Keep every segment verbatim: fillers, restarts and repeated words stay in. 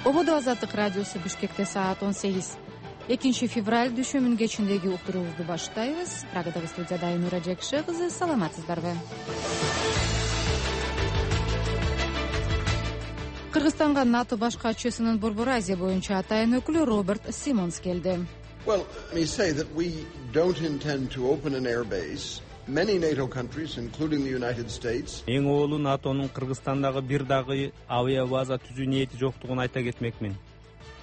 Ободо Азаттык радиосу Бишкекте саат он сегиз. экинчи февраль дүйшөмбүнүн кечиндеги уктуруубузду баштайбыз. Прагадагы студияда Айнура Жекши кызы, саламатсыздарбы? Кыргызстанга НАТО баш катчысынын Борбор Азия боюнча атайын өкүлү Роберт Симонс келди. Well, let me say that we don't intend to open an air base. Many NATO countries, including the United States. Эң оолу НАТОнун Кыргызстандагы бир дагы авиа база түзүү ниети жоктугун айта кетмекмин.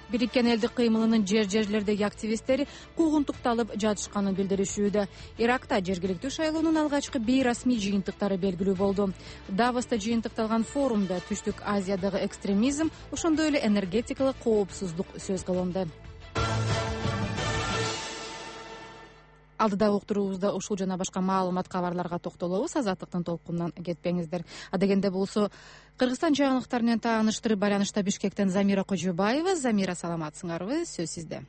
Бириккен Элдик кыймылынын жер жерлердеги активисттери куугунтукталып жатышканын билдиришүүдө. Иракта жергиликтүү шайлоонун алгачкы бейрасмий жыйынтыктары белгилүү болду. Давоста жыйынтыкталган форумда Түштүк Азиядагы экстремизм, ошондой эле энергетикалык коопсуздук сөз кылынды. Алдыдагы уктуруубузда ушул жана башка маалымат кабарларга токтолобуз. Азаттыктын толкунунан кетпеңиздер. Адегенде болсо Кыргызстан жаңылыктары менен тааныштырып байланышта Бишкектен Замира Кожобаева. Замира, саламатсыңарбы? Сөз сизде.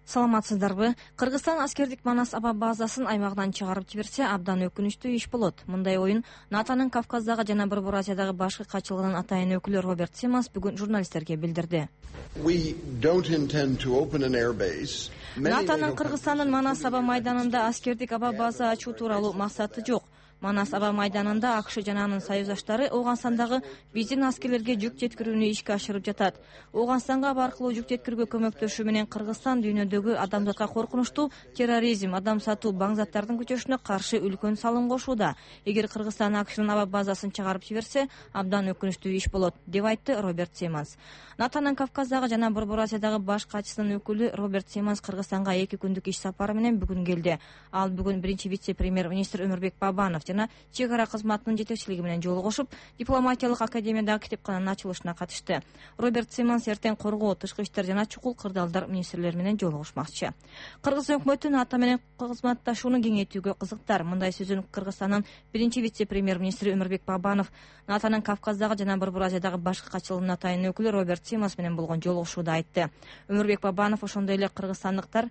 Саламатсыздарбы? Кыргызстан аскердик Манас аба базасын аймагынан чыгарып жиберсе абдан өкүнүчтүү иш болот. Мындай оюн НАТОнун Кавказдагы жана Борбор Азиядагы башкы катчылыгынын атайын өкүлү Роберт Симонс бүгүн журналисттерге билдирди. НАТОнун Кыргызстандын Манас аба майданында аскердик аба база ачуу тууралуу максаты жок. Манас аба майданында АКШ жана анын союздаштары Ооганстандагы биздин аскерлерге жүк жеткирүүнү ишке ашырып жатат. Ооганстанга аба аркылуу жүк жеткирүүгө көмөктөшүү менен Кыргызстан дүйнөдөгү адамзатка коркунучтуу терроризм, адам сатуу, баң заттардын көчөшүнө каршы үлкөн салым кошууда. Эгер Кыргызстан АКШнын аба базасын чыгарып жиберсе, абдан өкүнүчтүү иш болот, деп айтты Роберт Симонс. НАТОнун Кавказдагы жана Борбор Азиядагы баш катчысынын өкүлү Роберт Симонс Кыргызстанга эки күндүк иш сапары менен бүгүн келди. Ал бүгүн биринчи вице-премьер-министр Өмүрбек Бабанов жана чек ара кызматынын жетекчилиги менен жолугушуп, дипломатиялык академиядагы китепкананын ачылышына катышты. Роберт Симонс эртең коргоо, тышкы иштер жана чукул кырдаалдар министрлери менен жолугушмакчы. Кыргыз өкмөтү НАТО менен кызматташууну кеңейтүүгө кызыктар. Мындай сөзүн Кыргызстандын биринчи вице-премьер-министри Өмүрбек Бабанов НАТОнун Кавказдагы жана Борбор Азиядагы башкы катчылыгынын атайын өкүлү Роберт Симонс менен болгон жолугушууда айтты. Өмүрбек Бабанов ошондой эле кыргызстандыктар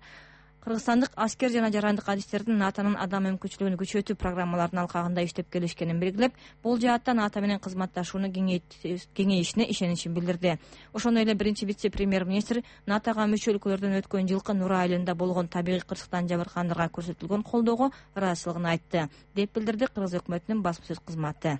Кыргызстандык аскер жана жарандык адистердин НАТОнун адам мүмкүнчүлүгүн күчөтүү программаларынын алкагында иштеп келишкенин белгилеп, бул жаатта НАТО менен кызматташууну кеңейишине ишеничин билдирди. Ошондой эле биринчи вице-премьер-министр НАТОга мүчө өлкөлөрдөн өткөн жылкы Нура айылында болгон табигый кырсыктан жабыркагандарга көрсөтүлгөн колдоого ыраазычылыгын айтты, деп билдирди Кыргыз өкмөтүнүн басма сөз кызматы.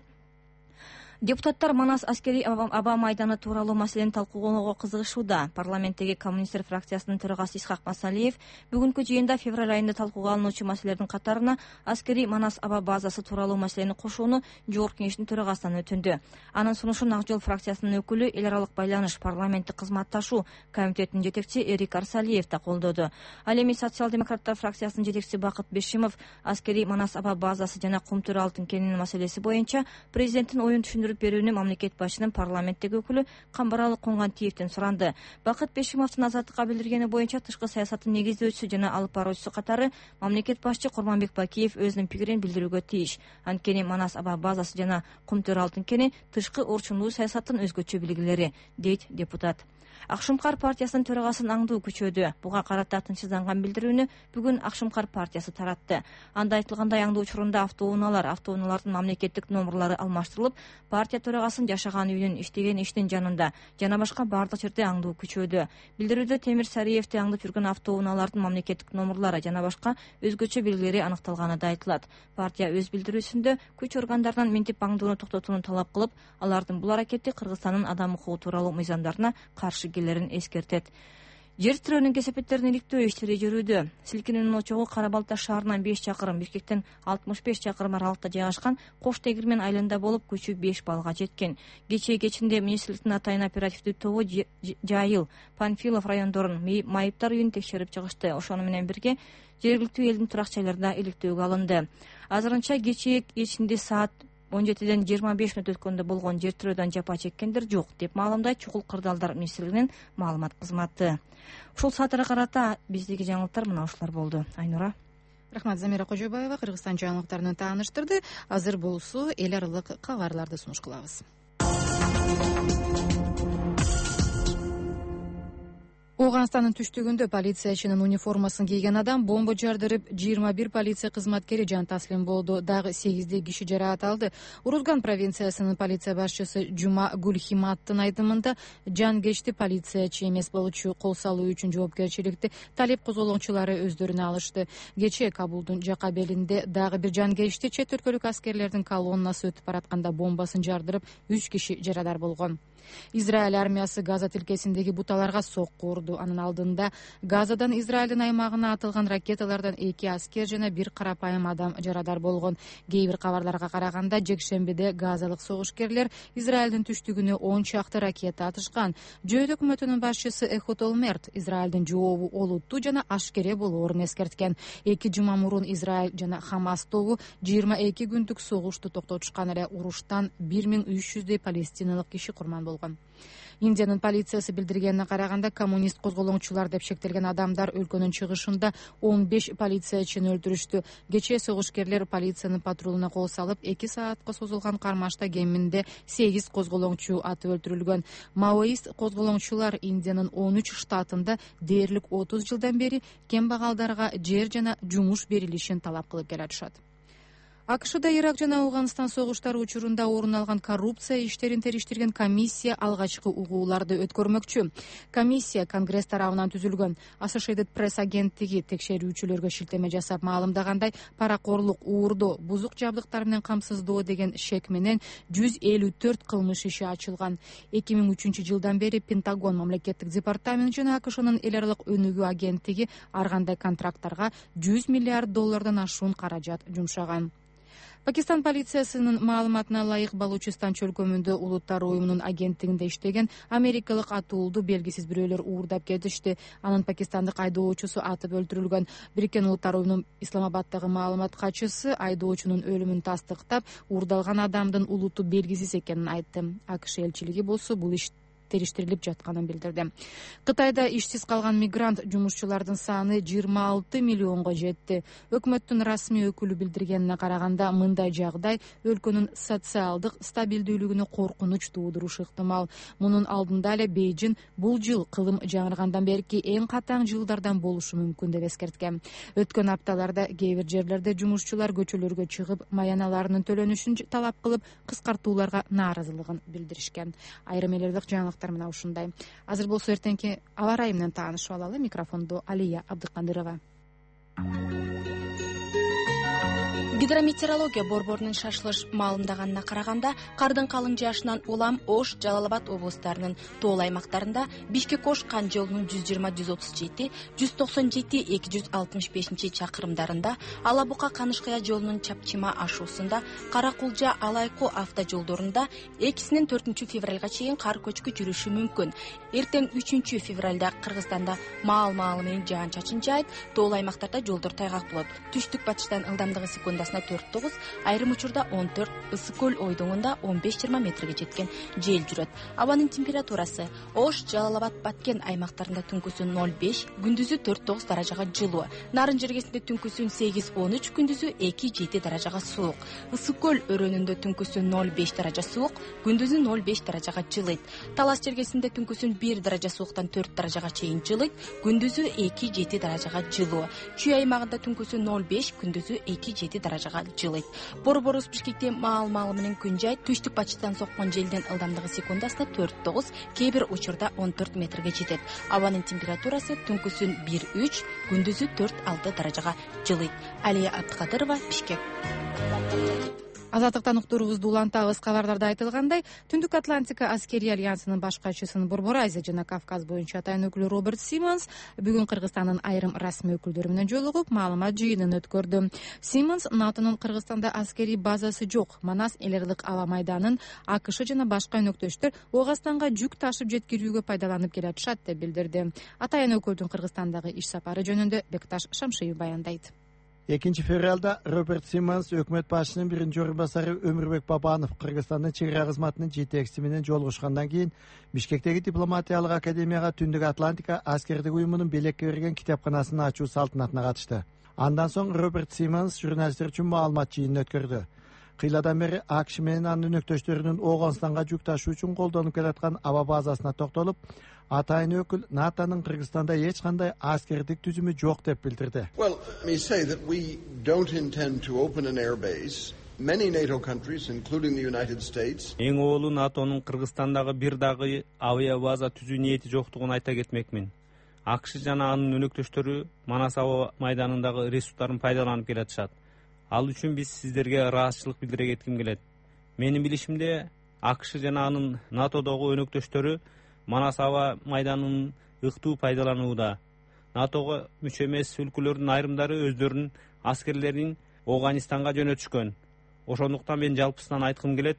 Депутаттар Манас аскери аба майданы тууралуу маселени талкуулоого кызыгышууда. Парламенттеги коммунисттер фракциясынын төрагасы Исхак Масалиев бүгүнкү жыйында февраль айында талкууга алынуучу маселелердин катарына аскери Манас аба базасы тууралуу маселени кошууну Жогорку кеңештин төрагасынан өтүндү. Анын сунушун Ак Жол фракциясынын өкүлү, эл аралык байланыш, парламенттик кызматташуу комитетинин жетекчиси Эрик Арсалиев да колдоду. Ал эми социал-демократтар фракциясынын жетекчиси Бакыт Бешимов аскери Манас аба базасы жана Кумтөр алтын кенинин маселеси боюнча президенттин оюн түшүндүрүп берүүнү мамлекет башчынын парламенттеги өкүлү Камбаралы Коңгантиевден суранды. Бакыт Бешимовдун Азаттыкка билдиргени боюнча тышкы саясаттын негиздөөчүсү жана алып баруучусу катары мамлекет башчы Курманбек Бакиев өзүнүн пикирин билдирүүгө тийиш. Анткени Манас аба базасы жана Кумтөр алтын кени тышкы орчундуу саясаттын өзгөчө белгилери, дейт депутат. Акшумкар партиясынын төрагасынын аңдуу күчөдү. Буга карата тынчсызданган билдирүүнү бүгүн Акшумкар партиясы таратты. Анда айтылгандай, аңдуу учурунда автоунаалар, автоунаалардын мамлекеттик номерлары алмаштырылып, партия төрагасынын жашаган үйүнүн, иштеген иштин жанында жана башка бардык жерде аңдуу күчөдү. Билдирүүдө Темир Сариевди аңдып жүргөн автоунаалардын мамлекеттик номерлары жана башка өзгөчө белгилери аныкталганы да айтылат. Партия өз билдирүүсүндө күч органдарынан минтип аңдууну токтотууну талап кылып, алардын бул аракети Кыргызстандын адам укугу тууралуу мыйзамдарына каршы келерин эскертет. Жер тирөөнүн кесепеттерин иликтөө иштери жүрүүдө. Силкинүүнүн очогу Кара Балта шаарынан беш чакырым, Бишкектен алтымыш беш чакырым аралыкта жайгашкан Кош Тегирмен айылында болуп, күчү беш балга жеткен. Кечээ кечинде министрликтин атайын оперативдүү тобу Жайыл, Панфилов райондорун майыптар үйүн текшерип чыгышты. Ошону менен бирге жергиликтүү элдин турак жайларында иликтөөгө алынды. Азырынча кечээ кечинде саат он жетиден жыйырма беш мүнөт өткөндө болгон жер тирөөдөн жапа чеккендер жок, деп маалымдайт Чукул кырдаалдар министрлигинин маалымат кызматы. Ушул саатка карата биздеги жаңылыктар мына ушулар болду. Айнура. Рахмат, Замира Кожобаева Кыргызстан жаңылыктарын тааныштырды. Азыр болсо эл аралык кабарларды сунуш кылабыз. Ооганстандын түштүгүндө полициячынын униформасын кийген адам бомба жардырып, жыйырма бир полиция кызматкери жан таслим болду. Дагы сегиздей киши жараат алды. Урузган провинциясынын полиция башчысы Жума Гулхиматтын айтымында, жангечти полициячы эмес болчу кол салуу үчүн жоопкерчиликти талеп козголоңчулары өздөрүнө алышты. Кечээ Кабулдун жака белинде дагы бир жангечти чет өлкөлүк аскерлердин колоннасы өтүп баратканда бомбасын жардырып, үч киши жарадар болгон. Израиль армиясы Газа тилкесиндеги буталарга сокку урду. Анын алдында Газадан Израилдин аймагына атылган ракеталардан эки аскер жана бир карапайым адам жарадар болгон. Кээ бир кабарларга караганда, жекшембиде газалык согушкерлер Израилдин түштүгүнө он чакты ракета атышкан. Жөөт өкмөтүнүн башчысы Эхуд Олмерт Израилдин жообу олуттуу жана ашкере болоорун эскерткен. Эки жума мурун Израиль жана Хамас тобу жыйырма эки күндүк согушту токтотушкан эле. Уруштан бир миң үч жүздөй палестиналык киши курман болгон. Индиянын полициясы билдиргенине караганда, коммунист козголоңчулар деп шектелген адамдар өлкөнүн чыгышында он беш полициячыны өлтүрүштү. Кечээ согушкерлер полициянын патрулуна кол салып, эки саатка созулган кармашта кеминде сегиз козголоңчу атып өлтүрүлгөн. Маоист козголоңчулар Индиянын он үч штатында дээрлик отуз жылдан бери кембагалдарга жер жана жумуш берилишин талап кылып келатышат. АКШда Ирак жана Ооганстан согуштары учурунда орун алган коррупция иштерин териштирген комиссия алгачкы угууларды өткөрмөкчү. Комиссия Конгресс тарабынан түзүлгөн. Associated Press агенттиги текшерүүчүлөргө шилтеме жасап маалымдагандай, паракорлук, уурдоо, бузук жабдыктар менен камсыздоо деген шек менен жүз элүү төрт кылмыш иши ачылган. эки миң үчүнчү жылдан бери Пентагон, мамлекеттик департамент жана АКШнын эл аралык өнүгүү агенттиги ар кандай контракттарга жүз миллиард доллардан ашуун каражат жумшаган. Пакистан полициясынын маалыматына ылайык, Балучистан чөлкөмүндө Улуттар уюмунун агенттигинде иштеген америкалык атуулду белгисиз бирөөлөр уурдап кетишти. Анын пакистандык айдоочусу атып өлтүрүлгөн. Бириккен Улуттар уюмунун Исламабаддагы маалымат катчысы айдоочунун өлүмүн тастыктап, уурдалган адамдын улуту белгисиз экенин айтты. АКШ элчилиги болсо бул иш териштирилип жатканын билдирди. Кытайда ишсиз калган мигрант жумушчулардын саны жыйырма алты миллионго жетти. Өкмөттүн расмий өкүлү билдиргенине караганда, мындай жагдай өлкөнүн социалдык стабилдүүлүгүнө коркунуч туудурушу ыктымал. Мунун алдында эле Бейжин бул жыл кылым жаңыргандан берки эң катаң жылдардан болушу мүмкүн деп эскерткен. Өткөн апталарда кээ бир жерлерде жумушчулар көчөлөргө чыгып, маяналарынын төлөнүшүн талап кылып, кыскартууларга нааразылыгын билдиришкен. Айрым элдик жаңылыктар мына ушундай. Азыр болсо эртеңки аба ырайы менен таанышып алалы. Микрофондо Алия Абдыкандырова. Гидрометеорология борборунун шашылыш маалымдаганына караганда, кардын калың жаашынан улам Ош, Жалал-Абад облустарынын тоол аймактарында Бишкек-Ош кан жолунун жүз жыйырма жүз отуз жети, жүз токсон жети эки жүз алтымыш бешинчи чакырымдарында, Ала-Бука-Канышкая жолунун Чапчима ашуусунда, Кара-Кулжа-Алайку автожолдорунда экисинен төртүнчү февралга чейин кар көчкү жүрүшү мүмкүн. Эртең үчүнчү февралда Кыргызстанда маал-маалы менен жаан-чачын жаайт, тоол аймактарда жолдор тайгак болот. Түштүк батыштан ылдамдыгы секундасына төрт тогуз, айрым учурда он төрт, ысык көл ойдоңунда он беш жыйырма метрге жеткен жел жүрөт. Абанын температурасы Ош, Жалал-Абад, Баткен аймактарында түнкүсүн ноль беш, күндүзү төрт тогуз даражага жылуу. Нарын жергесинде түнкүсүн сегиз он үч, күндүзү эки жети даражага суук. Ысык көл өрөөнүндө түнкүсүн ноль беш даража суук, күндүзү ноль беш даражага жылыйт. Талас жергесинде түнкүсүн бир даража сууктан төрт даражага чейин жылыйт, күндүзү эки жети даражага жылуу. Чүй аймагында түнкүсү ноль беш, күндүзү эки жети даражага жылыйт. Борборубуз Бишкекте маал-маалы менен күн жайт, түштүк батыштан соккон желдин ылдамдыгы секундасына төрт тогуз, кээ бир учурда он төрт метрге жетет. Абанын температурасы түнкүсүн бир үч, күндүзү төрт алты даражага жылыйт. Алия Абдыкадырова, Бишкек. Азаттыктан уктуурубузду улантабыз. Кабардарда айтылгандай, Түндүк Атлантика аскерий альянсынын баш катчысынын Борбор Азия жана Кавказ боюнча атайын өкүлү Роберт Симмонс бүгүн Кыргызстандын айрым расмий өкүлдөрү менен жолугуп, маалымат жыйынын өткөрдү. Симмонс НАТОнун Кыргызстанда аскерий базасы жок, Манас эл аралык аба майданын АКШ жана башка өнөктөштөр Ооганстанга жүк ташып жеткирүүгө пайдаланып келатышат деп билдирди. Атайын өкүлдүн Кыргызстандагы иш сапары жөнүндө Бекташ Шамшиев баяндайт. экинчи февралда Роберт Симмонс өкмөт башчынын биринчи орун басары Өмүрбек Бабанов Кыргызстандын чек ара кызматынын жетекчиси менен жолугушкандан кийин Бишкектеги дипломатиялык академияга Түндүк Атлантика аскердик уюмунун белекке берген китепканасынын ачуу салтанатына катышты. Андан соң Роберт Симмонс журналисттер үчүн маалымат жыйынын өткөрдү. Кыйладан бери АКШ менен анын өнөктөштөрүнүн Ооганстанга жүк ташуу үчүн колдонуп келаткан аба базасына токтолуп, Атайын өкүл НАТОнун Кыргызстанда эч кандай аскердик түзүмү жок деп билдирди. Well, let me say that we don't intend to open an air base. Many NATO countries, including the United States. Эң оолу НАТОнун Кыргызстандагы бир дагы авиа база түзүү ниети жоктугун айта кетмекмин. АКШ жана анын өнөктөштөрү Манас аба майданындагы ресурстарын пайдаланып келатышат. Ал үчүн биз сиздерге ыраазычылык билдире кетким келет. Менин билишимде АКШ жана анын НАТОдогу өнөктөштөрү Манас аба майданын ыктуу пайдаланууда. НАТОго мүчө эмес өлкөлөрдүн айрымдары өздөрүнүн аскерлерин Афганистанга жөнөтүшкөн. Ошондуктан мен жалпысынан айткым келет,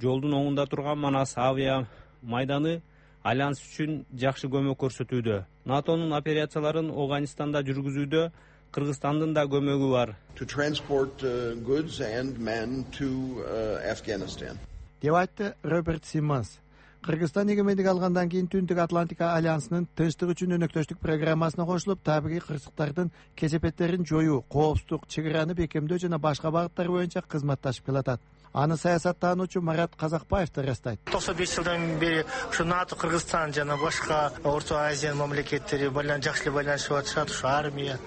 жолдун оңунда турган Манас авиа майданы альянс үчүн жакшы көмөк көрсөтүүдө. НАТОнун операцияларын Афганистанда жүргүзүүдө Кыргызстандын да көмөгү бар. To transport uh, goods and men to uh, Afghanistan. Деп айтты Роберт Симмонс. Кыргызстан эгемендик алгандан кийин Түндүк Атлантика альянсынын тынчтык үчүн өнөктөштүк программасына кошулуп, табигый кырсыктардын кесепеттерин жоюу, коопсуздук, чек араны бекемдөө жана башка багыттар боюнча кызматташып келатат. Аны саясаттануучу Марат Казакбаев да ырастайт. токсон беш жылдан бери ушу НАТО, Кыргызстан жана башка Орто Азиянын мамлекеттери байлан жакшы байланышып атышат, ушу армия,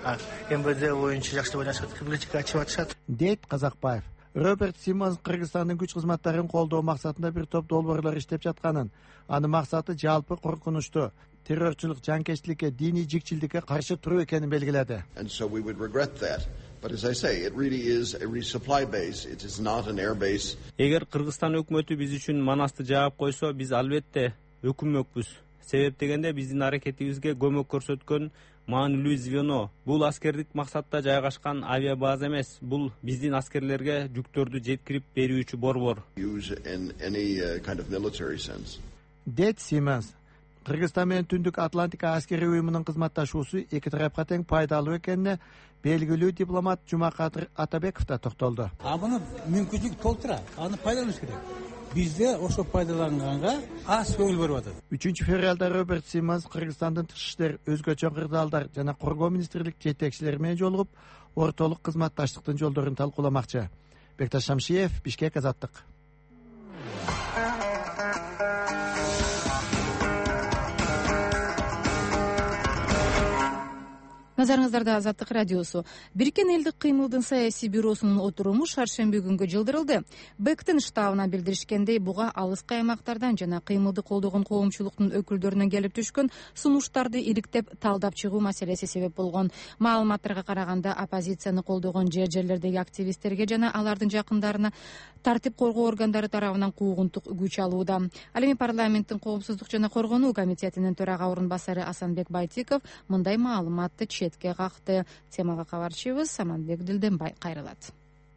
МВД боюнча жакшы байланышып, библиотека ачып атышат, дейт Казакбаев. Роберт Симмонс Кыргызстандын күч кызматтарын колдоо максатында бир топ долбоорлор иштеп жатканын, анын максаты жалпы коркунучту, террорчулук, жанкечтиликке, диний жикчилдикке каршы туруу экенин белгиледи. And so we would regret that. But as I say, it really is a resupply base. It is not an air base. Эгер Кыргызстан өкмөтү биз үчүн Манасты жаап койсо, биз албетте өкүнмөкпүз. Себеп дегенде биздин аракетибизге көмөк көрсөткөн маанилүү звено. Бул аскердик максатта жайгашкан авиа база эмес, бул биздин аскерлерге жүктөрдү жеткирип берүүчү борбор. Use in any uh, kind of military sense. Дейт Симмонс. Кыргызстан менен Түндүк Атлантика аскери уюмунун кызматташуусу эки тарапка тең пайдалуу экенине белгилүү дипломат Жумакадыр Атабеков да токтолду. А муну мүмкүнчүлүк толтура, аны пайдаланыш керек. Бизде ошо пайдаланганга аз көңүл берип атат. үчүнчү февралда Роберт Симмонс Кыргызстандын тышкы иштер, өзгөчө кырдаалдар жана коргоо министрлик жетекчилери менен жолугуп, ортолук кызматташтыктын жолдорун талкууламакчы. Бекташ Шамшиев, Бишкек, Азаттык. Назарыңыздарда Азаттык радиосу. Бириккен элдик кыймылдын саясий бюросунун отуруму шаршемби күнгө жылдырылды. БЭКтин штабына билдиришкендей, буга алыскы аймактардан жана кыймылды колдогон коомчулуктун өкүлдөрүнөн келип түшкөн сунуштарды иликтеп талдап чыгуу маселеси себеп болгон. Маалыматтарга караганда, оппозицияны колдогон жер жерлердеги активисттерге жана алардын жакындарына тартип коргоо органдары тарабынан куугунтук күч алууда. Ал эми парламенттин коопсуздук жана коргонуу комитетинин төрага орун басары Асанбек Байтиков мындай маалыматты четке какты. Темага кабарчыбыз Саманбек Дилденбай кайрылат.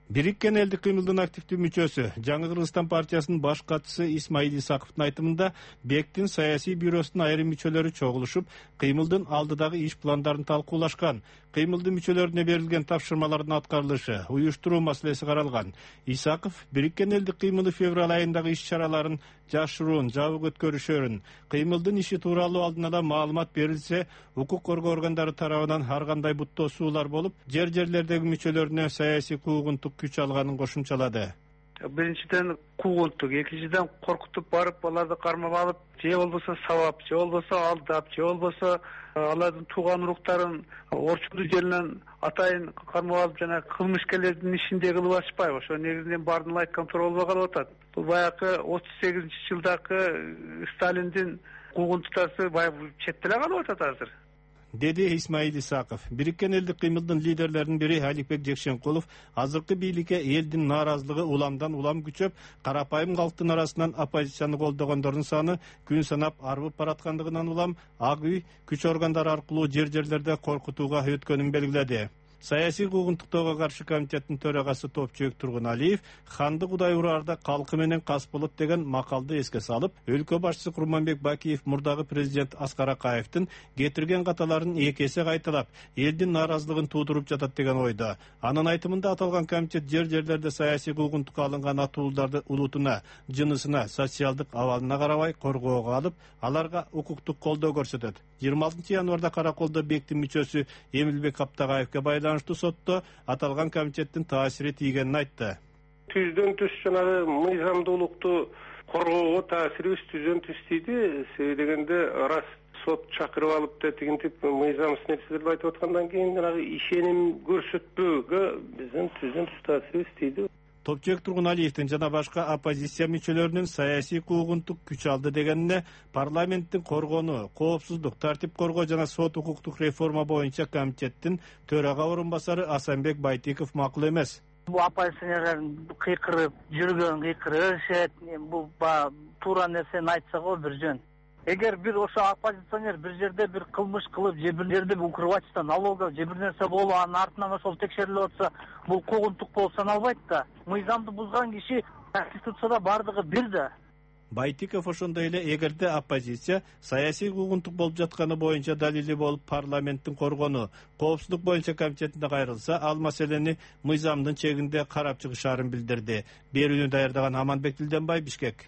Бириккен элдик кыймылдын активдүү мүчөсү, Жаңы Кыргызстан партиясынын баш катчысы Исмаил Исаковдун айтымында, БЭКтин саясий бюросунун айрым мүчөлөрү чогулушуп, кыймылдын алдыдагы иш пландарын талкуулашкан. Кыймылдын мүчөлөрүнө берилген тапшырмалардын аткарылышы, уюштуруу маселеси каралган. Исаков Бириккен элдик кыймылы февраль айындагы иш-чараларын жашыруун, жабык өткөрүшөрүн, кыймылдын иши тууралуу алдын ала маалымат берилсе, укук коргоо органдары тарабынан ар кандай буттоосуулар болуп, жер жерлердеги мүчөлөрүнө саясий куугунтук күч алганын кошумчалады. Биринчиден куугунтук, экинчиден коркутуп барып, аларды кармап алып, же болбосо сабап, же болбосо алдап, же болбосо алардын тууган уруктарын орчундуу жеринен атайын кармап алып, жана кылмышкерлердин ишиндей кылып атышпайбы? Ошо негизинен баардыгын айткан туура болбой калып атат. Бул баягы отуз сегизинчи жылдагы Сталиндин куугунтуктары баягы четте эле калып атат азыр, деди Исмаил Исаков. Бириккен элдик кыймылдын лидерлеринин бири Аликбек Жекшенкулов азыркы бийликке элдин нааразылыгы уламдан улам күчөп, карапайым калктын арасынан оппозицияны колдогондордун саны күн санап арбып бараткандыгынан улам ак үй күч органдары аркылуу жер жерлерде коркутууга өткөнүн белгиледи. Саясий куугунтуктоого каршы комитеттин төрагасы Топчуек Тургуналиев ханды Кудай ураарда калкы менен кас болот деген макалды эске салып, өлкө башчысы Курманбек Бакиев мурдагы президент Аскар Акаевдин кетирген каталарын эки эсе кайталап, элдин нааразылыгын туудуруп жатат деген ойдо. Анын айтымында аталган комитет жер жерлерде саясий куугунтукка алынган атууларды улутуна, жынысына, социалдык абалына карабай коргоого алып, аларга укуктук колдоо көрсөтөт. жыйырма алтынчы январда Караколдо БЭКтин мүчөсү Эмилбек Аптагаевке байланыштуу сотто аталган комитеттин таасири тийгенин айтты. Түздөн түз жанагы мыйзамдуулукту коргоого таасирибиз түзөн түстийди. Себеби дегенде рас сот чакырып алып да тигинтип мыйзамсыз нерселерди айтып аткандан кийин жанагы ишеним көрсөтпөөгө биздин түзөн түз таасирибиз тийди. Топчек Тургуналиевдин жана башка оппозиция мүчөлөрүнүн саясий куугунтук күч алды дегенине парламенттин коргонуу, коопсуздук, тартип коргоо жана сот укуктук реформа боюнча комитеттин төрага орун басары Асанбек Байтиков макул эмес. Бул оппозиционерлердин кыйкырып жүргөн кыйкырып беришет. Бул туура нерсени айтса го бир жөн. Эгер бир ошо оппозиционер бир жерде бир кылмыш кылып, же бир жерде укрывательство, налога, же бир нерсе болуп, анын артынан ошол текшерилип атса, бул куугунтук болуп саналбайт да. Мыйзамды бузган киши Конституцияда бардыгы бир да. Байтиков ошондой эле эгерде оппозиция саясий куугунтук болуп жатканы боюнча далили болуп парламенттин коргонуу, коопсуздук боюнча комитетине кайрылса, ал маселени мыйзамдын чегинде карап чыгышаарын билдирди. Берүүнү даярдаган Аманбек Дилденбай, Бишкек.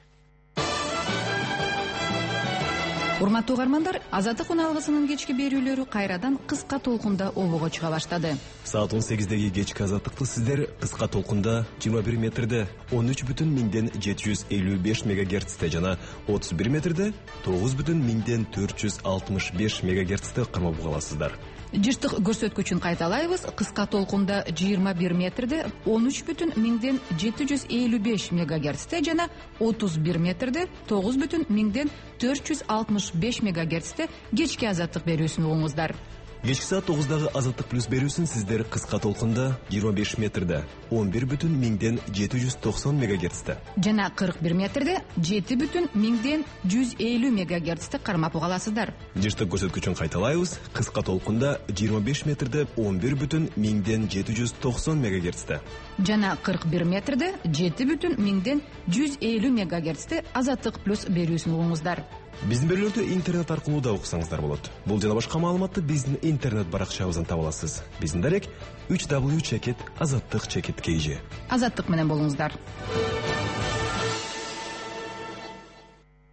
Урматтуу угармандар, Азаттык уналгысынын кечки берүүлөрү кайрадан кыска толкунда обого чыга баштады. Саат он сегиздеги кечки Азаттыкты сиздер кыска толкунда жыйырма бир метрде он үч бүтүн миңден жети жүз элүү беш мегагерцте жана отуз бир метрде тогуз бүтүн миңден төрт жүз алтымыш беш мегагерцте кармап уга аласыздар. Жыштык көрсөткүчүн кайталайбыз. Кыска толкунда жыйырма бир метрде он үч бүтүн миңден жети жүз элүү беш мегагерцте жана отуз бир метрде тогуз бүтүн миңден төрт жүз алтымыш беш мегагерцте кечки Азаттык берүүсүн угуңуздар. Кечки саат тогуздагы Азаттык плюс берүүсүн сиздер кыска толкунда жыйырма беш метрде он бир бүтүн миңден жети жүз токсон мегагерцте жана кырк бир метрде жети бүтүн миңден жүз элүү мегагерцте кармап уга аласыздар. Жыштык көрсөткүчүн кайталайбыз. Кыска толкунда жыйырма беш метрде он бир бүтүн миңден жети жүз токсон мегагерцте жана кырк бир метрде жети бүтүн миңден жүз элүү мегагерцте Азаттык плюс берүүсүн угуңуздар. Биздин берүүлөрдү интернет аркылуу да уксаңыздар болот. Бул жана башка маалыматты биздин интернет баракчабыздан таба аласыз. Биздин дарек үч дабл ю чекит азаттык чекит кей же. Азаттык менен болуңуздар.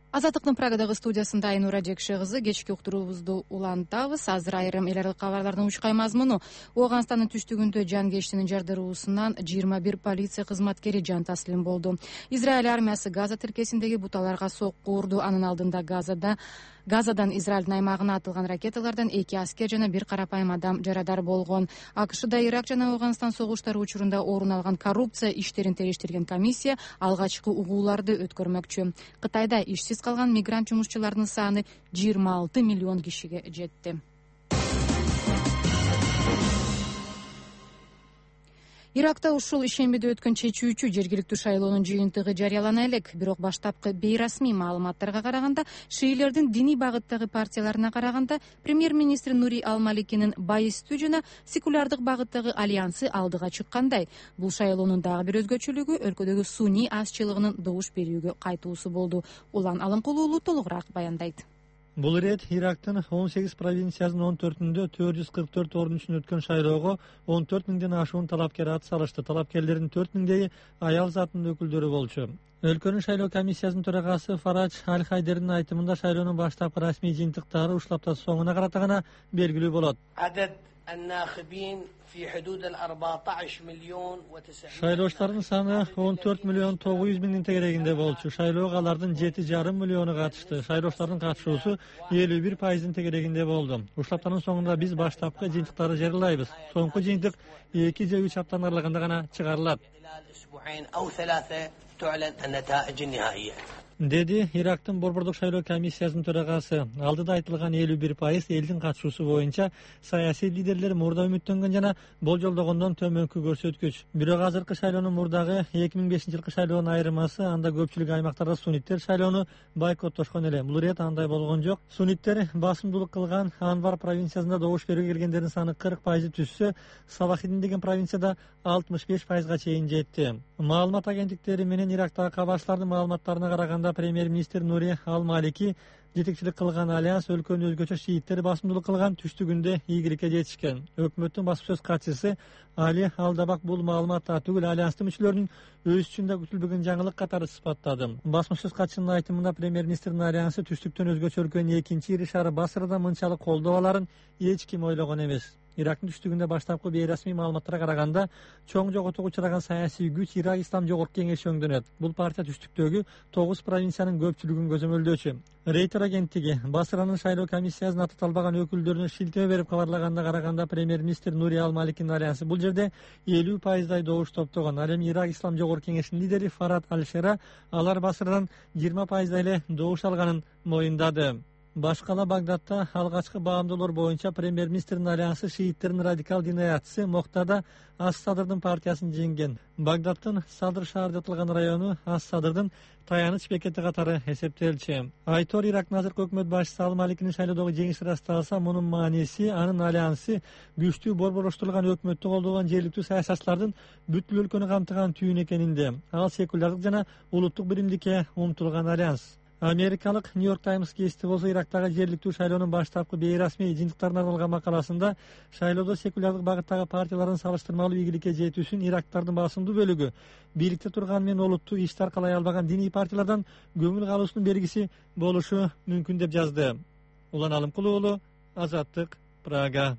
Азаттыктын Прагадагы студиясында Айнура Жекше кызы кечки уктуруубузду улантабыз. Азыр айрым эл аралык кабарлардын учкай мазмуну. Ооганстандын түштүгүндө жангештинин жардыруусунан жыйырма бир полиция кызматкери жан таслим болду. Израиль армиясы Газа тилкесиндеги буталарга сокку урду. Анын алдында Газада Газадан Израилдин аймагына атылган ракеталардан эки аскер жана бир карапайым адам жарадар болгон. АКШда Ирак жана Ооганстан согуштары учурунда орун алган коррупция иштерин териштирген комиссия алгачкы угууларды өткөрмөкчү. Кытайда ишсиз калган мигрант жумушчулардын саны жыйырма алты миллион кишиге жетти. Иракта ушул ишембиде өткөн чечүүчү жергиликтүү шайлоонун жыйынтыгы жарыялана элек. Бирок баштапкы бейрасмий маалыматтарга караганда, шиилердин диний багыттагы партияларына караганда, премьер-министр Нури Ал-Маликинин байыстуу жана секулярдык багыттагы альянсы алдыга чыккандай. Бул шайлоонун дагы бир өзгөчөлүгү өлкөдөгү сунний азчылыгынын добуш берүүгө кайтуусу болду. Улан Алымкулуулу толугураак баяндайт. Бул ирет Ирактын он сегиз провинциясынын он төртүндө төрт жүз кырк төрт орун үчүн өткөн шайлоого он төрт миңден ашуун талапкер ат салышты. Талапкерлердин төрт миңдеги аял затынын өкүлдөрү болчу. Өлкөнүн шайлоо комиссиясынын төрагасы Фарадж Аль-Хайдердин айтымында шайлоонун баштапкы расмий жыйынтыктары ушул апта соңуна карата гана белгилүү болот. Шайлоочулардын саны он төрт миллион тогуз жүз миңдин тегерегинде болчу. Шайлоого алардын жети жарым миллиону катышты. Шайлоочулардын катышуусу элүү бир пайыздын тегерегинде болду. Ушул аптанын соңунда биз баштапкы жыйынтыктарды жарыялайбыз. Соңку жыйынтык эки же үч аптаны аралыгында гана чыгарылат, деди Ирактын борбордук шайлоо комиссиясынын төрагасы. Алдыда айтылган элүү бир пайыз элдин катышуусу боюнча саясий лидерлер мурда үмүттөнгөн жана болжолдогондон төмөнкү көрсөткүч. Бирок азыркы шайлоонун мурдагы эки миң бешинчи жылкы шайлоонун айырмасы, анда көпчүлүк аймактарда сунниттер шайлоону бойкоттошкон эле. Бул ирет андай болгон жок. Сунниттер басымдуулук кылган Анвар провинциясында добуш берүүгө келгендердин саны кырк пайызды түзсө, Салахидин деген провинцияда алтымыш беш пайызга чейин жетти. Маалымат агенттиктери менен Ирактагы кабарчылардын маалыматтарына караганда, премьер-министр Нури Ал-Малики жетекчилик кылган альянс өлкөнү өзгөчө шииттер басымдуулук кылган түштүгүндө ийгиликке жетишкен. Өкмөттүн басма сөз катчысы Али Алдабак бул маалыматта түгүл альянстын мүчөлөрүнүн өз үчүн да күтүлбөгөн жаңылык катары сыпаттады. Басма сөз катчысынын айтымында, премьер-министрдин альянсы түштүктөн өзгөчө өлкөнүн экинчи ири шаары Басрада мынчалык колдоо аларын эч ким ойлогон эмес. Ирактын түштүгүндө баштапкы бейрасмий маалыматтарга караганда чоң жоготууга учураган саясий күч Ирак Ислам жогорку кеңеши өңдөнөт. Бул партия түштүктөгү тогуз провинциянын көпчүлүгүн көзөмөлдөөчү. Рейтер агенттиги Басранын шайлоо комиссиясына таталбаган өкүлдөрүнө шилтеме берип кабарлаганына караганда премьер-министр Нури Ал-Маликинин альянсы бул жерде элүү пайыздай добуш топтогон. Ал эми Ирак Ислам жогорку кеңешинин лидери Фарад Аль-Шера алар Басрадан жыйырма пайыздай эле добуш алганын моюндады. Башкала Багдадта алгачкы баамдоолор боюнча премьер-министрдин альянсы шииттердин радикал динаятчысы Моктада Ас-Садырдын партиясын жеңген. Багдадтын Садыр шаар деп аталган району Ас-Садырдын таяныч бекети катары эсептелчү. Айтор Ирактын азыркы өкмөт башчысы Ал-Маликинин шайлоодогу жеңиши ырасталса, мунун мааниси анын альянсы күчтүү борборуштурулган өкмөттү колдогон жергиликтүү саясатчылардын бүткүл өлкөнү камтыган түйүн экенинде. Ал секулярдык жана улуттук биримдикке умтулган альянс. Америкалык Нью-Йорк Таймс гезити болсо Ирактагы жергиликтүү шайлоонун баштапкы бейрасмий жыйынтыктарына арналган макаласында шайлоодо секулярдык багыттагы партиялардын салыштырмалуу ийгиликке жетүүсүн ирактардын басымдуу бөлүгү бийликте турган менен олуттуу иш таркалай албаган диний партиялардан көңүл калуусунун белгиси болушу мүмкүн деп жазды. Улан Алымкулуу уулу, Азаттык, Прага.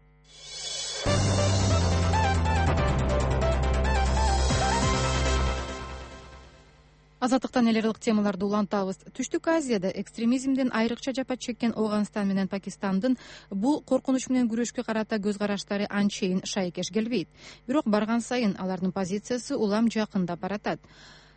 Азаттыктан эл аралык темаларды улантабыз. Түштүк Азияда экстремизмден айрыкча жапа чеккен Ооганстан менен Пакистандын бул коркунуч менен күрөшкө карата көз караштары анчейин шайкеш келбейт. Бирок барган сайын алардын позициясы улам жакындап баратат.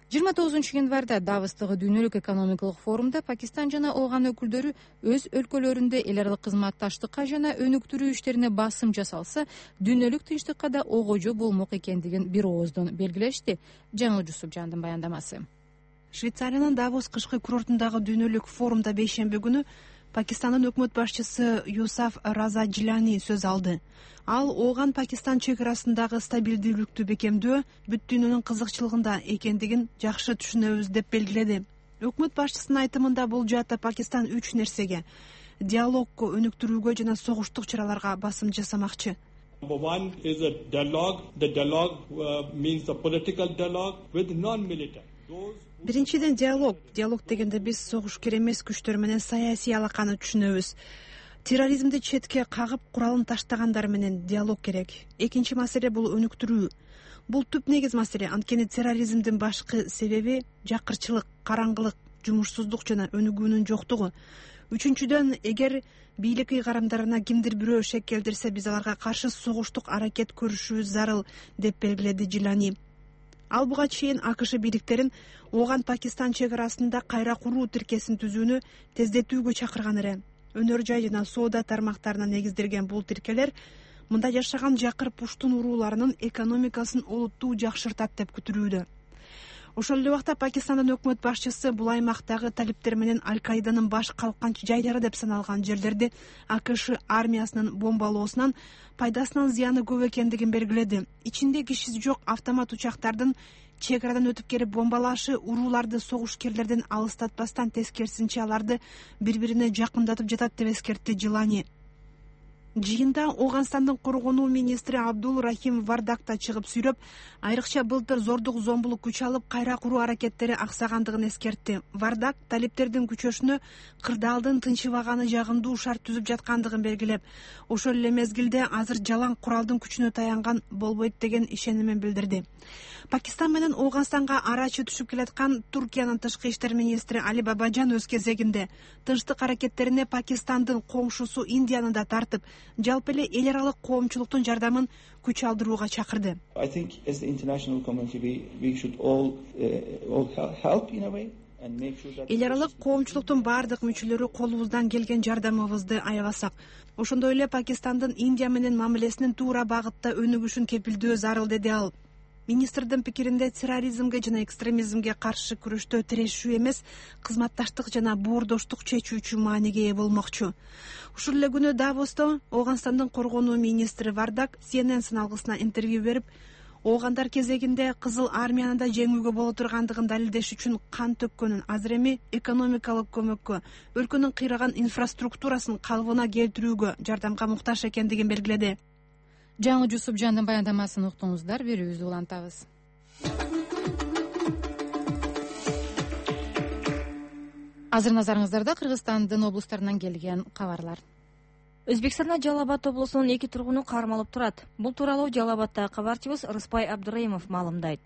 жыйырма тогузунчу январда Давостогу дүйнөлүк экономикалык форумда Пакистан жана Ооган өкүлдөрү өз өлкөлөрүндө эл аралык кызматташтыкка жана өнүктүрүү иштерине басым жасалса, дүйнөлүк тынчтыкка да огожо болмок экендигин бир ооздон белгилешти. Жаңыл Жусупжандын баяндамасы. Швейцариянын Давос кышкы курортундагы дүйнөлүк форумда бейшемби күнү Пакистандын өкмөт башчысы Юсаф Раза Джилани сөз алды. Ал Ооган Пакистан чек арасындагы стабилдүүлүктү бекемдөө бүт дүйнөнүн кызыкчылыгында экендигин жакшы түшүнөбүз деп белгиледи. Өкмөт башчысынын айтымында бул жаатта Пакистан үч нерсеге: диалогго, өнүктүрүүгө жана согуштук чараларга басым жасамакчы. Number one is a dialogue. The dialogue uh, means the political dialogue with non-military. Биринчиден диалог. Диалог дегенде биз согушкер эмес күчтөр менен саясий алаканы түшүнөбүз. Терроризмди четке кагып, куралын таштагандар менен диалог керек. Экинчи маселе бул өнүктүрүү. Бул түп негиз маселе, анткени терроризмдин башкы себеби жакырчылык, караңгылык, жумушсуздук жана өнүгүүнүн жоктугу. Үчүнчүдөн, эгер бийлик ыйгарымдарына кимдир бирөө шек келтирсе, биз аларга каршы согуштук аракет көрүшүбүз зарыл, деп белгиледи Джилани. Ал буга чейин АКШ бийликтерин Ооган Пакистан чек арасында кайра куруу тиркесин түзүүнү тездетүүгө чакырган эле. Өнөр жай жана соода тармактарына негизделген бул тиркелер мында жашаган жакыр пуштун урууларынын экономикасын олуттуу жакшыртат деп күтүлүүдө. Ошол эле убакта Пакистандын өкмөт башчысы бул аймактагы талиптер менен Аль-Каиданын баш калкан жайлары деп саналган жерлерди АКШ армиясынын бомбалоосунан пайдасынан зыяны көп экендигин белгиледи. Ичинде кишиси жок автомат учактардын чек арадан өтүп келип бомбалашы урууларды согушкерлерден алыстатпастан, тескерисинче аларды бири-бирине жакындатып жатат деп эскертти Джилани. Жыйында Ооганстандын коргонуу министри Абдул Рахим Вардак да чыгып сүйлөп, айрыкча былтыр зордук зомбулук күч алып кайра куруу аракеттери аксагандыгын эскертти. Вардак талиптердин күчөшүнө кырдаалдын тынчыбаганы жагымдуу шарт түзүп жаткандыгын белгилеп, ошол эле мезгилде азыр жалаң куралдын күчүнө таянган болбойт деген ишенимин билдирди. Пакистан менен Ооганстанга арачы түшүп келаткан Туркиянын тышкы иштер министри Али Бабаджан өз кезегинде тынчтык аракеттерине Пакистандын коңшусу Индияны да тартып, жалпы эле эл аралык коомчулуктун жардамын күч алдырууга чакырды. I think as the international community we, we should all, uh, all help in a way. Эл аралык коомчулуктун баардык мүчөлөрү колубуздан келген жардамыбызды аябасак, ошондой эле Пакистандын Индия менен мамилесинин туура багытта өнүгүшүн кепилдөө зарыл, деди ал. Министрдин пикиринде терроризмге жана экстремизмге каршы күрөштө тирешүү эмес, кызматташтык жана боордоштук чечүүчү мааниге ээ болмокчу. Ушул эле күнү Давосто Ооганстандын коргонуу министри Вардак Си Эн Эн сыналгысына интервью берип, оогандар кезегинде Кызыл армияны да жеңүүгө боло тургандыгын далилдеш үчүн кан төккөнүн, азыр эми экономикалык көмөккө, өлкөнүн кыйраган инфраструктурасын калыбына келтирүүгө жардамга муктаж экендигин белгиледи. Жаңыл Жусупжандын баяндамасын уктуңуздар, берүүбүздү улантабыз. Азыр назарыңыздарда Кыргызстандын облустарынан келген кабарлар. Өзбекстанда Жалал Абад облусунун эки тургуну кармалып турат. Бул тууралуу Жалал Абаддагы кабарчыбыз Рыспай Абдыраимов маалымдайт.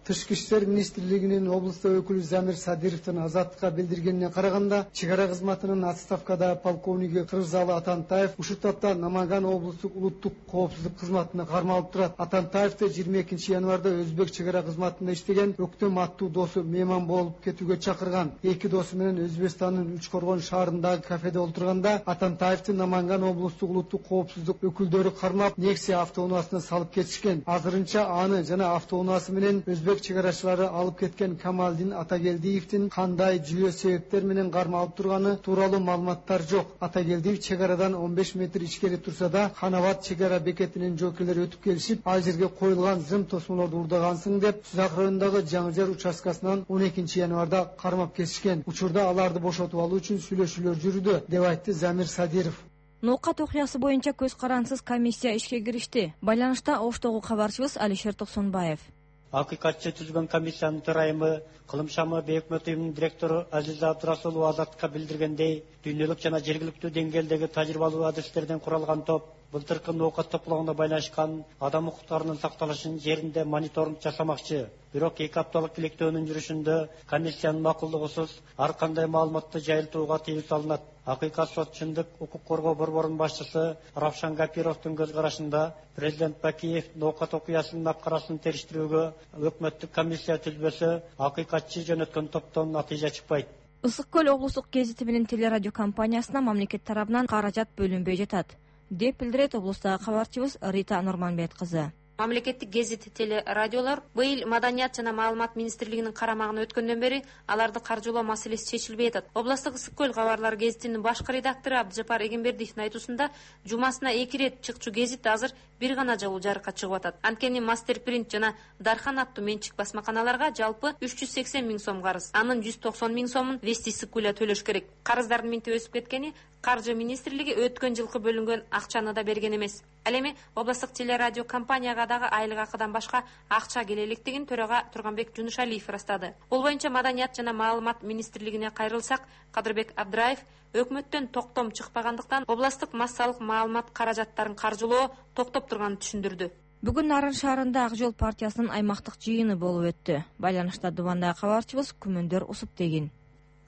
Тышкы иштер министрлигинин облусту өкүлү Замир Садировдун Азаттыкка билдиргенине караганда, чек ара кызматынын отставкада полковниги Кыргызалы Атантаев ушул тапта Наманган облустук улуттук коопсуздук кызматына кармалып турат. Атантаевди жыйырма экинчи январда Өзбек чек ара кызматында иштеген өктөм аттуу досу мейман болуп кетүүгө чакырган. Эки досу менен Өзбекстандын Үч Коргон шаарындагы кафеде олтурганда Атантаевди Наманган облустук улуттук коопсуздук өкүлдөрү кармап, Nexia автоунаасына салып кетишкен. Азырынча аны жана автоунаасы менен Өзбек чек арачылары алып кеткен Камалдин Атагелдиевдин кандай жүйө себептер менен кармалып турганы тууралуу маалыматтар жок. Атагелдиев чек арадан он беш метр ичкери турса да, Ханабад чек ара бекетинин жоокерлери өтүп келишип, ал жерге коюлган зым тосмолорду урдагансың деп, Сузак районундагы Жаңы Жар участкасынан он экинчи январда кармап кетишкен. Учурда аларды бошотуп алуу үчүн сүйлөшүүлөр жүрүүдө, деп айтты Замир Садиров. Ноокат окуясы боюнча көз карансыз комиссия ишке киришти. Байланышта Оштогу кабарчыбыз Алишер Токсонбаев. Акыйкатчы түзүлгөн комиссиянын төрайымы, Кылым шамы бейөкмөт уюмунун директору Азиза Абдырасулова Азаттыкка билдиргендей, дүйнөлүк жана жергиликтүү деңгээлдеги тажрыйбалуу адистерден куралган топ былтыркы ноокат топлогуна байланышкан адам укуктарынын сакталышын жеринде мониторинг жасамакчы. Бирок эки апталык иликтөөнүн жүрүшүндө комиссиянын макулдугусуз ар кандай маалыматты жайылтууга тыюу салынат. Акыйкат сотчундук укук коргоо борборунун башчысы Равшан Гапировдун көз карашында президент Бакиев ноокат окуясынын апкарасын териштирүүгө өкмөттүк комиссия түзбөсө акыйкатчы жөнөткөн топтон натыйжа чыкпайт. Ысык көл облустук гезити менен телерадио компаниясына мамлекет тарабынан каражат бөлүнбөй жатат, деп билдирет облустагы кабарчыбыз Рита Нурманбет кызы. Мамлекеттик гезит телерадиолор быйыл Маданият жана маалымат министрлигинин карамагына өткөндөн бери аларды каржылоо маселеси чечилбей атат. Областык Ысык көл кабарлар гезитинин башкы редактору Абдыжапар Эгембердиевдин айтуусунда, жумасына эки ирет чыкчу гезит азыр бир гана жолу жарыкка чыгып атат. Анткени Мастер принт жана Дархан аттуу менчик басмаканаларга жалпы үч жүз сексен миң сом карыз, анын жүз токсон миң сомун Вести Ысык көлгө төлөш керек. Карыздардын минти өсүп кеткени Каржы министрлиги өткөн жылкы бөлүнгөн акчаны да берген эмес. Ал эми областык телерадио компанияга дагы айлык акыдан башка акча келе электигин төрага Турганбек Жунушалиев ырастады. Бул боюнча Маданият жана маалымат министрлигине кайрылсак, Кадырбек Абдыраев өкмөттөн токтом чыкпагандыктан областык массалык маалымат каражаттарын каржылоо токтоп турганын түшүндүрдү. Бүгүн Нарын шаарында Ак жол партиясынын аймактык жыйыны болуп өттү. Байланышта Дубандагы кабарчыбыз Күмөндөр Усуптегин.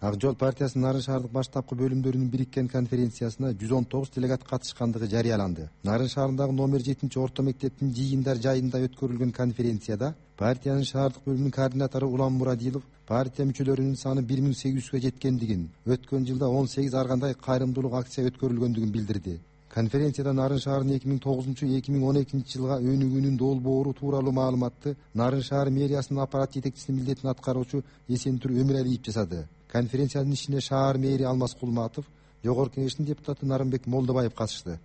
Ак жол партиясынын Нарын шаардык баштапкы бөлүмдөрүнүн бириккен конференциясына жүз он тогуз делегат катышкандыгы жарыяланды. Нарын шаарындагы номер жетинчи орто мектептин жыйындар жайында өткөрүлгөн конференцияда партиянын шаардык бөлүмүнүн координатору Улам Мурадилов партия мүчөлөрүнүн саны бир миң сегиз жүзгө жеткендигин, өткөн жылда он сегиз ар кандай кайрымдуулук акция өткөрүлгөндүгүн билдирди. Конференцияда Нарын шаарынын эки миң тогузунчу эки миң он экинчи жылга өнүгүүнүн долбоору тууралуу маалыматты Нарын шаар мэриясынын аппарат жетекчисинин милдетин аткаруучу Эсентур Өмүралиев жасады. Конференциянын ишине шаар мэри Алмаз Кулматов, жогорку кеңештин депутаты Нарымбек Молдобаев катышты.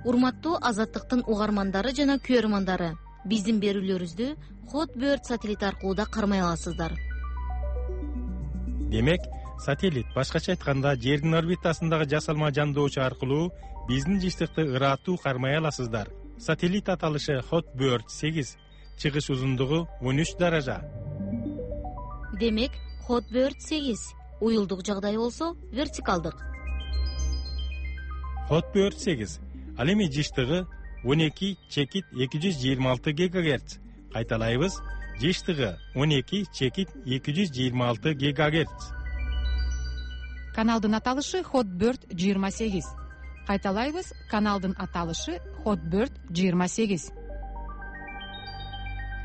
Урматтуу Азаттыктын угармандары жана көрөрмандары, биздин берүүлөрүбүздү Hotbird сателлит аркылуу да кармай аласыздар. Демек, сателлит башкача айтканда жердин орбитасындагы жасалма жандоочу аркылуу биздин жыштыкты ыраттуу кармай аласыздар. Сателлит аталышы Hotbird сегиз, чыгыш узундугу он үч даража. Демек, Hotbird сегиз, уюлдук жагдай болсо вертикалдык. Hotbird сегиз, ал эми жыштыгы он эки чекит эки жүз жыйырма алты гигагерц. Кайталайбыз, жыштыгы он эки чекит эки жүз жыйырма алты гигагерц. Каналдын аталышы Hotbird жыйырма сегиз. Кайталайбыз, каналдын аталышы Hotbird жыйырма сегиз.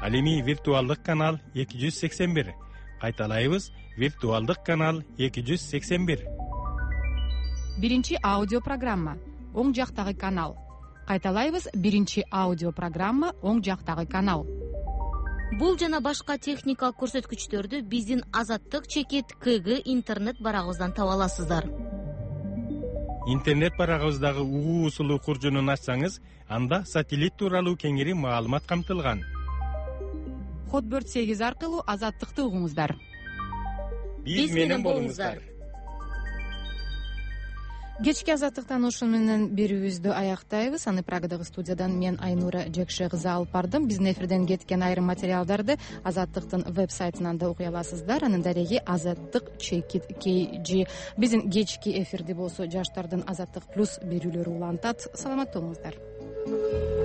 Ал эми виртуалдык канал эки жүз сексен бир. Кайталайбыз, виртуалдык канал эки жүз сексен бир. Биринчи аудио программа, оң жактагы канал. Кайталайбыз, биринчи аудио программа, оң жактагы канал. Бул жана башка техникалык көрсөткүчтөрдү биздин Азаттык чекит КГ интернет барагыбыздан таба аласыздар. Интернет барагыбыздагы угуу усулу куржунун ачсаңыз, анда сателлит тууралуу кеңири маалымат камтылган. Hotbird сегиз аркылуу Азаттыкты угуңуздар. Биз менен болуңуздар. кечки азаттыктан ушун менен берүүбүздү аяктайбыз. Аны Прагадагы студиядан мен Айнура Жекшекызы алып бардым. Биздин эфирден кеткен айрым материалдарды Азаттыктын веб-сайтынан да окуй аласыздар. Анын дареги азаттык чекит kg. Биздин кечки эфирди болсо жаштардын Азаттык плюс берүүлөрү улантат. Саламатта болуңуздар.